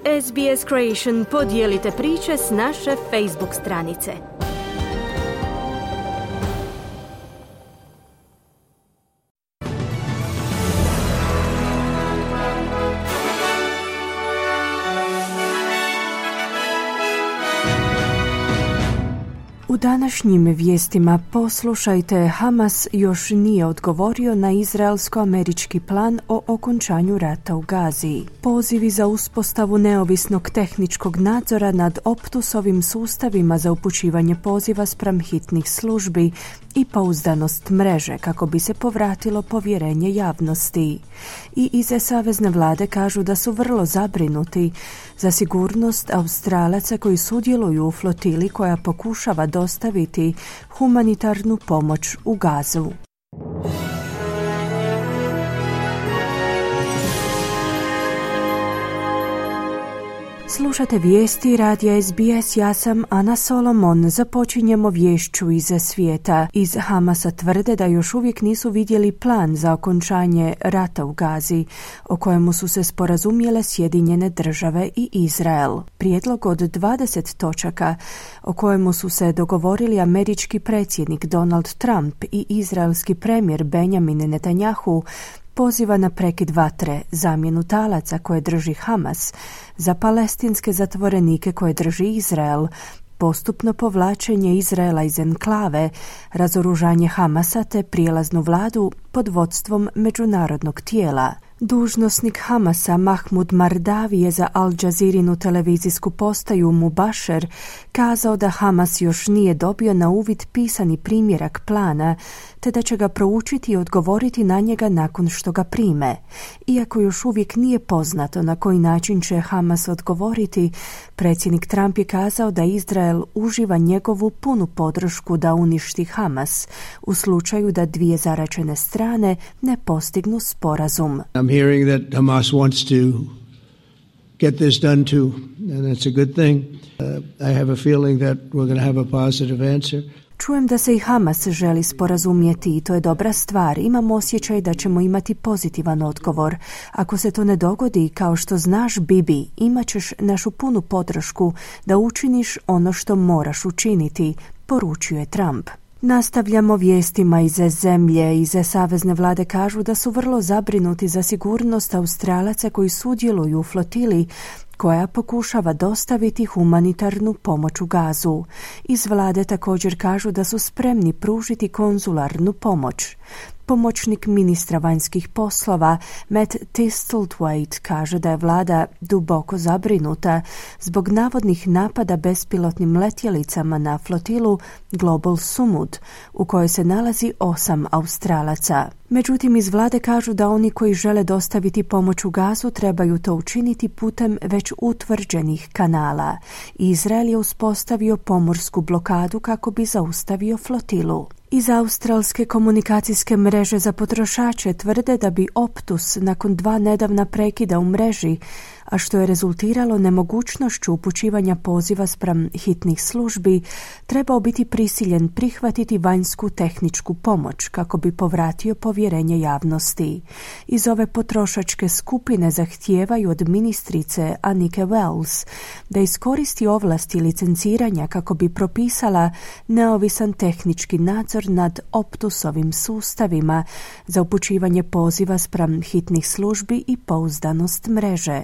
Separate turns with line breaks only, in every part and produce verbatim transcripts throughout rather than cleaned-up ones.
S B S Creation podijelite priče s naše Facebook stranice.
U današnjim vijestima poslušajte, Hamas još nije odgovorio na izraelsko-američki plan o okončanju rata u Gazi. Pozivi za uspostavu neovisnog tehničkog nadzora nad Optusovim sustavima za upućivanje poziva spram hitnih službi i pouzdanost mreže kako bi se povratilo povjerenje javnosti. I iz savezne vlade kažu da su vrlo zabrinuti za sigurnost Australaca koji sudjeluju u flotili koja pokušava dostaviti humanitarnu pomoć u Gazu. Slušate vijesti radija S B S, ja sam Ana Solomon. Započinjemo viješću iz svijeta. Iz Hamasa tvrde da još uvijek nisu vidjeli plan za okončanje rata u Gazi, o kojemu su se sporazumjele Sjedinjene države i Izrael. Prijedlog od dvadeset točaka o kojemu su se dogovorili američki predsjednik Donald Trump i izraelski premijer Benjamin Netanyahu poziva na prekid vatre, zamjenu talaca koje drži Hamas za palestinske zatvorenike koje drži Izrael, postupno povlačenje Izraela iz enklave, razoružanje Hamasa te prijelaznu vladu pod vodstvom međunarodnog tijela. Dužnosnik Hamasa Mahmud Mardavi je za Al Jazirinu televizijsku postaju Mubasher kazao da Hamas još nije dobio na uvid pisani primjerak plana, te da će ga proučiti i odgovoriti na njega nakon što ga prime. Iako još uvijek nije poznato na koji način će Hamas odgovoriti, predsjednik Trump je kazao da Izrael uživa njegovu punu podršku da uništi Hamas u slučaju da dvije zaraćene strane ne postignu sporazum.
I'm hearing that Hamas wants to get this done too, and that's a good thing. Uh, I have a feeling that we're going to have a positive answer.
Čujem da se i Hamas želi sporazumjeti i to je dobra stvar. Imam osjećaj da ćemo imati pozitivan odgovor. Ako se to ne dogodi, kao što znaš, Bibi, imat ćeš našu punu podršku da učiniš ono što moraš učiniti, poručuje Trump. Nastavljamo vijestima iz zemlje. Iz savezne vlade kažu da su vrlo zabrinuti za sigurnost Australaca koji sudjeluju u flotili koja pokušava dostaviti humanitarnu pomoć u Gazu. Iz vlade također kažu da su spremni pružiti konzularnu pomoć. Pomoćnik ministra vanjskih poslova Matt Thistlethwaite kaže da je vlada duboko zabrinuta zbog navodnih napada bespilotnim letjelicama na flotilu Global Sumud, u kojoj se nalazi osam Australaca. Međutim, iz vlade kažu da oni koji žele dostaviti pomoć u Gazu trebaju to učiniti putem već utvrđenih kanala. Izrael je uspostavio pomorsku blokadu kako bi zaustavio flotilu. Iz australske komunikacijske mreže za potrošače tvrde da bi Optus nakon dva nedavna prekida u mreži, a što je rezultiralo nemogućnošću upućivanja poziva spram hitnih službi, trebao biti prisiljen prihvatiti vanjsku tehničku pomoć kako bi povratio povjerenje javnosti. Iz ove potrošačke skupine zahtijevaju od ministrice Annike Wells da iskoristi ovlasti licenciranja kako bi propisala neovisan tehnički nadzor nad Optusovim sustavima za upućivanje poziva spram hitnih službi i pouzdanost mreže.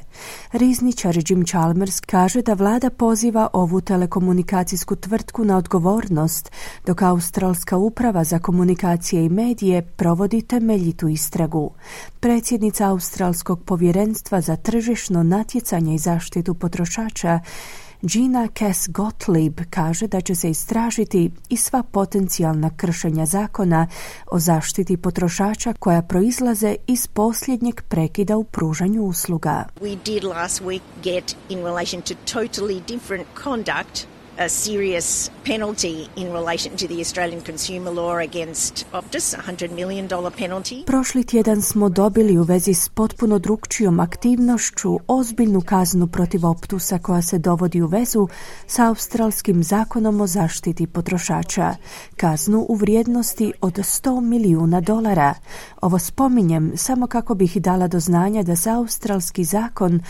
Rizničar Jim Chalmers kaže da vlada poziva ovu telekomunikacijsku tvrtku na odgovornost, dok Australska uprava za komunikacije i medije provodi temeljitu istragu. Predsjednica Australskog povjerenstva za tržišno natjecanje i zaštitu potrošača Gina Cass Gottlieb kaže da će se istražiti i sva potencijalna kršenja zakona o zaštiti potrošača koja proizlaze iz posljednjeg prekida u pružanju usluga.
We did last week get in relation to totally different conduct a serious penalty in relation to the Australian consumer law against Optus, a one hundred million dollars penalty.
Prošli tjedan smo dobili u vezi s potpuno drukčijom aktivnošću ozbiljnu kaznu protiv Optusa koja se dovodi u vezu sa australskim zakonom o zaštiti potrošača. Kaznu u vrijednosti od sto milijuna dolara. Ovo spominjem samo kako bih dala do znanja da se australski zakon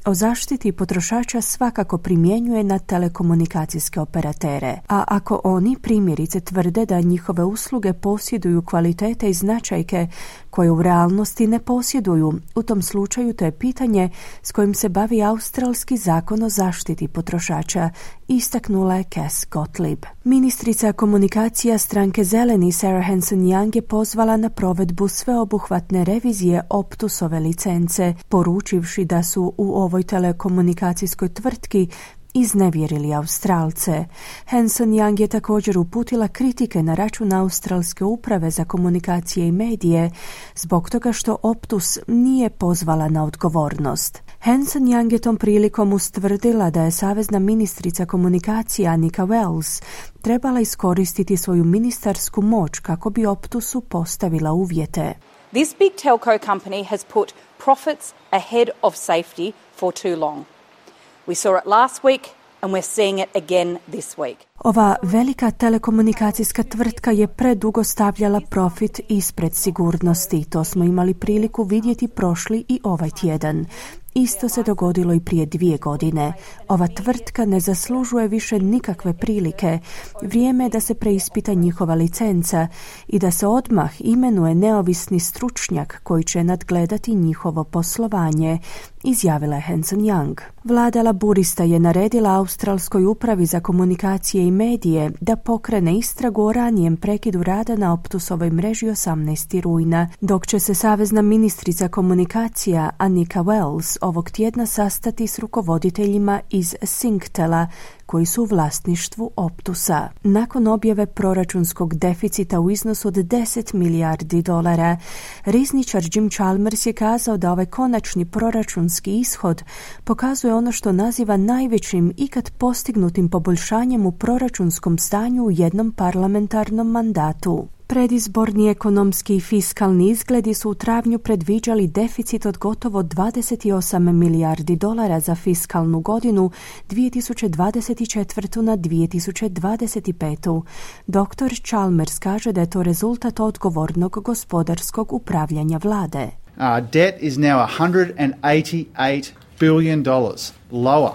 o zaštiti potrošača svakako primjenjuje na telekomunikacijske operatere, a ako oni primjerice tvrde da njihove usluge posjeduju kvalitete i značajke koje u realnosti ne posjeduju, u tom slučaju to je pitanje s kojim se bavi australski zakon o zaštiti potrošača, istaknula je Cass Gottlieb. Ministrica komunikacija stranke Zeleni Sarah Hanson-Young je pozvala na provedbu sveobuhvatne revizije Optusove licence, poručivši da su u ovoj telekomunikacijskoj tvrtki iznevjerili Australce. Hanson-Young je također uputila kritike na račun Australske uprave za komunikacije i medije zbog toga što Optus nije pozvala na odgovornost. Hanson-Young je tom prilikom ustvrdila da je savezna ministrica komunikacija Annika Wells trebala iskoristiti svoju ministarsku moć kako bi Optusu postavila uvjete.
This big telco company has put profits ahead of safety for too long. We saw it last week and we're seeing it again this week.
Ova velika telekomunikacijska tvrtka je predugo stavljala profit ispred sigurnosti. To smo imali priliku vidjeti prošli i ovaj tjedan. Isto se dogodilo i prije dvije godine. Ova tvrtka ne zaslužuje više nikakve prilike. Vrijeme je da se preispita njihova licenca i da se odmah imenuje neovisni stručnjak koji će nadgledati njihovo poslovanje, izjavila je Hanson-Young. Vlada laburista je naredila Australskoj upravi za komunikacije i medije da pokrene istragu o ranijem prekidu rada na Optusovoj mreži osamnaestog rujna, dok će se savezna ministrica komunikacija Annika Wells ovog tjedna sastati s rukovoditeljima iz Singtela koji su u vlasništvu Optusa. Nakon objave proračunskog deficita u iznosu od deset milijardi dolara, rizničar Jim Chalmers je kazao da ovaj konačni proračunski ishod pokazuje ono što naziva najvećim ikad postignutim poboljšanjem u proračunskom stanju u jednom parlamentarnom mandatu. Predizborni ekonomski i fiskalni izgledi su u travnju predviđali deficit od gotovo dvadeset osam milijardi dolara za fiskalnu godinu dvije tisuće dvadeset četvrtu na dvije tisuće dvadeset petu. doktor Chalmers kaže da je to rezultat odgovornog gospodarskog upravljanja vlade.
Our debt is now one hundred eighty-eight billion dollars lower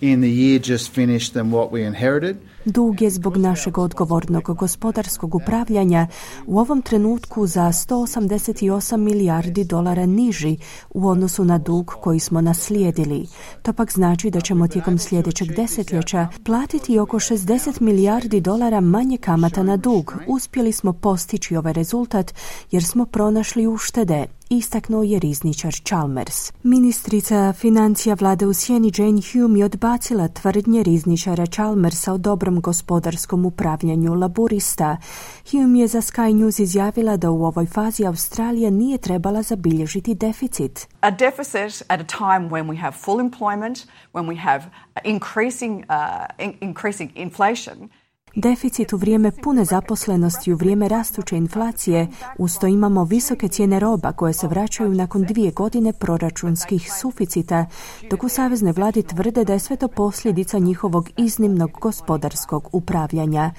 in the year just finished than what we inherited.
Dug je zbog našeg odgovornog gospodarskog upravljanja u ovom trenutku za sto osamdeset osam milijardi dolara niži u odnosu na dug koji smo naslijedili. To pak znači da ćemo tijekom sljedećeg desetljeća platiti oko šezdeset milijardi dolara manje kamata na dug. Uspjeli smo postići ovaj rezultat jer smo pronašli uštede, istaknuo je rizničar Chalmers. Ministrica financija vlade u sjeni Jane Hume je odbacila tvrdnje rizničara Chalmersa o dobrom gospodarskom upravljanju laburista. Hume je za Sky News izjavila da u ovoj fazi Australija nije trebala zabilježiti deficit.
A deficit at a time when we have full employment, when we have increasing, uh, in- increasing inflation.
Deficit u vrijeme pune zaposlenosti, u vrijeme rastuće inflacije, uz to imamo visoke cijene roba koje se vraćaju nakon dvije godine proračunskih suficita, dok u saveznoj vladi tvrde da je sve to posljedica njihovog iznimnog gospodarskog upravljanja.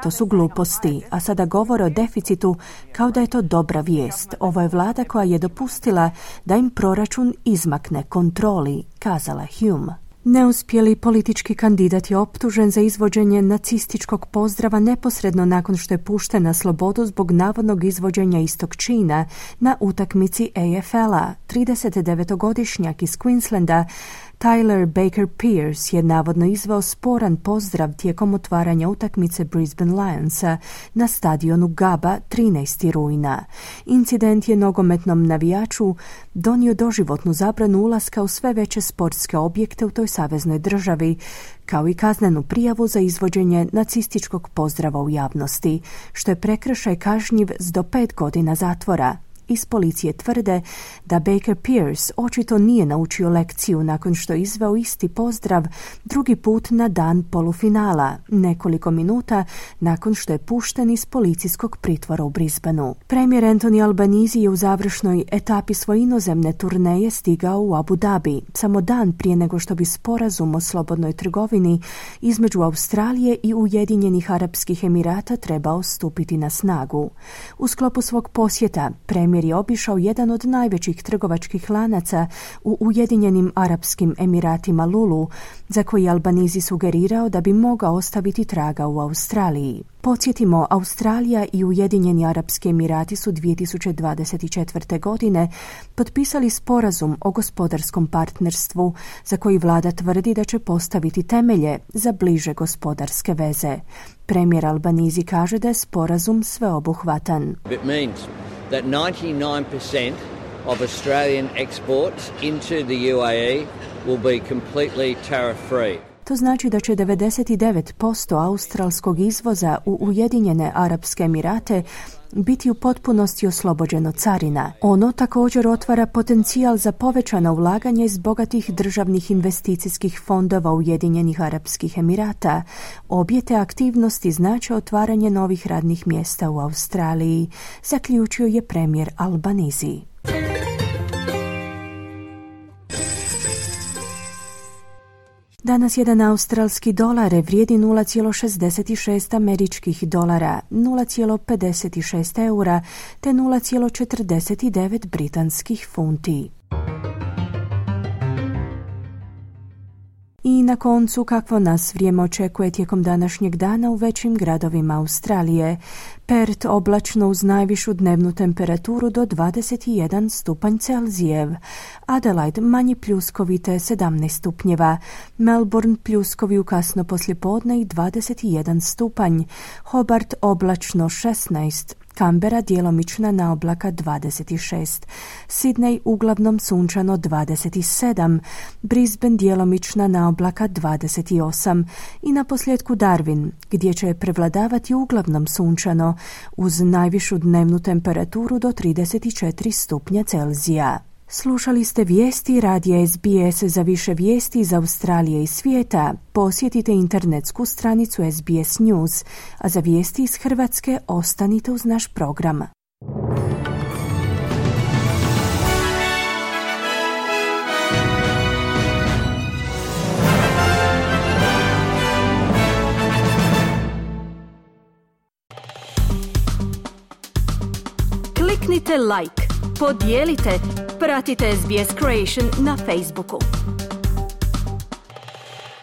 To su gluposti, a sada govore o deficitu kao da je to dobra vijest. Ovo je vlada koja je dopustila da im proračun izmakne kontroli, kazala Hume. Neuspjeli politički kandidat je optužen za izvođenje nacističkog pozdrava neposredno nakon što je pušten na slobodu zbog navodnog izvođenja istog čina na utakmici A F L-a. tridesetdevetogodišnjak iz Queenslanda Tyler Baker Pierce je navodno izveo sporan pozdrav tijekom otvaranja utakmice Brisbane Lionsa na stadionu Gabba trinaestog rujna. Incident je nogometnom navijaču donio doživotnu zabranu ulaska u sve veće sportske objekte u toj saveznoj državi, kao i kaznenu prijavu za izvođenje nacističkog pozdrava u javnosti, što je prekršaj kažnjiv s do pet godina zatvora. Iz policije tvrde da Baker Pierce očito nije naučio lekciju nakon što je izveo isti pozdrav drugi put na dan polufinala, nekoliko minuta nakon što je pušten iz policijskog pritvora u Brisbaneu. Premijer Anthony Albanese je u završnoj etapi svoje inozemne turneje stigao u Abu Dhabi, samo dan prije nego što bi sporazum o slobodnoj trgovini između Australije i Ujedinjenih Arapskih Emirata trebao stupiti na snagu. U sklopu svog posjeta premijer premijer je obišao jedan od najvećih trgovačkih lanaca u Ujedinjenim Arapskim Emiratima Lulu, za koji je Albanizi sugerirao da bi mogao ostaviti traga u Australiji. Podsjetimo, Australija i Ujedinjeni Arapski Emirati su dvije tisuće dvadeset četvrte. godine potpisali sporazum o gospodarskom partnerstvu za koji vlada tvrdi da će postaviti temelje za bliže gospodarske veze. Premijer Albanizi kaže da je sporazum sveobuhvatan.
It means that ninety-nine percent of Australian exports into the U A E will be completely tariff free.
To znači da će devedeset devet posto australskog izvoza u Ujedinjene Arapske Emirate biti u potpunosti oslobođeno carina. Ono također otvara potencijal za povećana ulaganja iz bogatih državnih investicijskih fondova Ujedinjenih Arapskih Emirata. Obje te aktivnosti znače otvaranje novih radnih mjesta u Australiji, zaključio je premijer Albanizi. Danas jedan australski dolar vrijedi nula zarez šezdeset šest američkih dolara, nula zarez pedeset šest eura te nula zarez četrdeset devet britanskih funti. I na koncu, kakvo nas vrijeme očekuje tijekom današnjeg dana u većim gradovima Australije. Perth oblačno uz najvišu dnevnu temperaturu do dvadeset jedan stupanj Celzijev. Adelaide manji pljuskovi te sedamnaest stupnjeva. Melbourne pljuskovi u kasno poslijepodne i dvadeset jedan stupanj. Hobart oblačno šesnaest. Canberra djelomična na oblaka dvadeset šest, Sydney uglavnom sunčano dvadeset sedam, Brisbane djelomična na oblaka dvadeset osam i na posljedku Darwin, gdje će prevladavati uglavnom sunčano uz najvišu dnevnu temperaturu do trideset četiri stupnja Celzija. Slušali ste vijesti radija S B S. Za više vijesti iz Australije i svijeta posjetite internetsku stranicu S B S News, a za vijesti iz Hrvatske ostanite uz naš program.
Kliknite like, podijelite, pratite S B S Creation na Facebooku.